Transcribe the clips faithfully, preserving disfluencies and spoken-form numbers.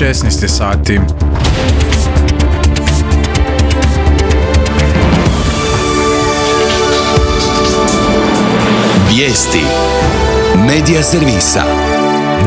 šesnaest je sati. Vijesti Medija servisa.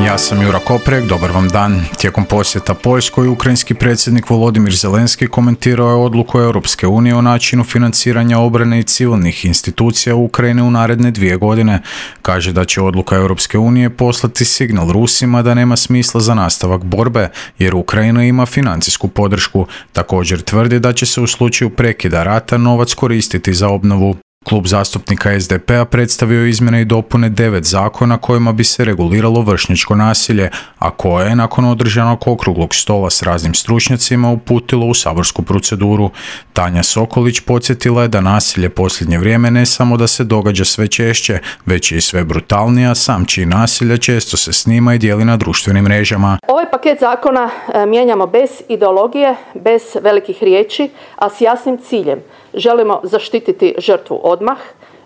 Ja sam Jura Koprek, dobar vam dan. Tijekom posjeta Poljskoj, ukrajinski predsjednik Volodimir Zelenski komentirao je odluku Europske unije o načinu financiranja obrane i civilnih institucija u Ukrajini u naredne dvije godine. Kaže da će odluka Europske unije poslati signal Rusima da nema smisla za nastavak borbe, jer Ukrajina ima financijsku podršku. Također tvrdi da će se u slučaju prekida rata novac koristiti za obnovu. Klub zastupnika es de pe a predstavio izmjene i dopune devet zakona kojima bi se reguliralo vršnjačko nasilje, a koje je nakon održanog okruglog stola s raznim stručnjacima uputilo u saborsku proceduru. Tanja Sokolić podsjetila je da nasilje posljednje vrijeme ne samo da se događa sve češće, već je i sve brutalnija, sam čin nasilja često se snima i dijeli na društvenim mrežama. Ovaj paket zakona mijenjamo bez ideologije, bez velikih riječi, a s jasnim ciljem. Želimo zaštititi žrtvu odmah,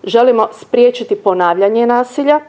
želimo spriječiti ponavljanje nasilja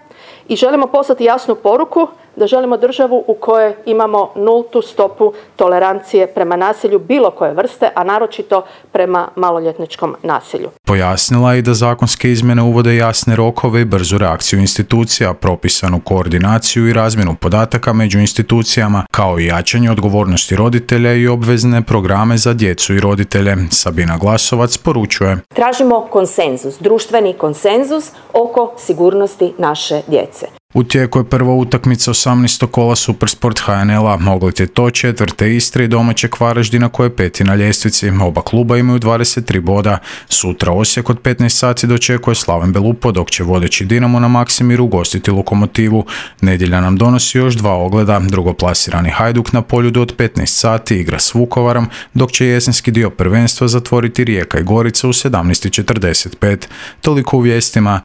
i želimo poslati jasnu poruku da želimo državu u kojoj imamo nultu stopu tolerancije prema nasilju bilo koje vrste, a naročito prema maloljetničkom nasilju. Pojasnila je i da zakonske izmjene uvode jasne rokove i brzu reakciju institucija, propisanu koordinaciju i razmjenu podataka među institucijama, kao i jačanje odgovornosti roditelja i obvezne programe za djecu i roditelje. Sabina Glasovac poručuje: Tražimo konsenzus, društveni konsenzus oko sigurnosti naše djece. U tijeku je prva utakmica osamnaestog kola Supersport ha en el-a. Ogled je to četvrte Istre i domaćeg Varaždina koje je peti na ljestvici. Oba kluba imaju dvadeset tri boda. Sutra Osijek od petnaest sati dočekuje Slaven Belupo, dok će vodeći Dinamo na Maksimiru ugostiti Lokomotivu. Nedjelja nam donosi još dva ogleda. Drugoplasirani Hajduk na Poljudu od petnaest sati igra s Vukovarom, dok će jesenski dio prvenstva zatvoriti Rijeka i Gorica u sedamnaest i četrdeset pet. Toliko u vijestima.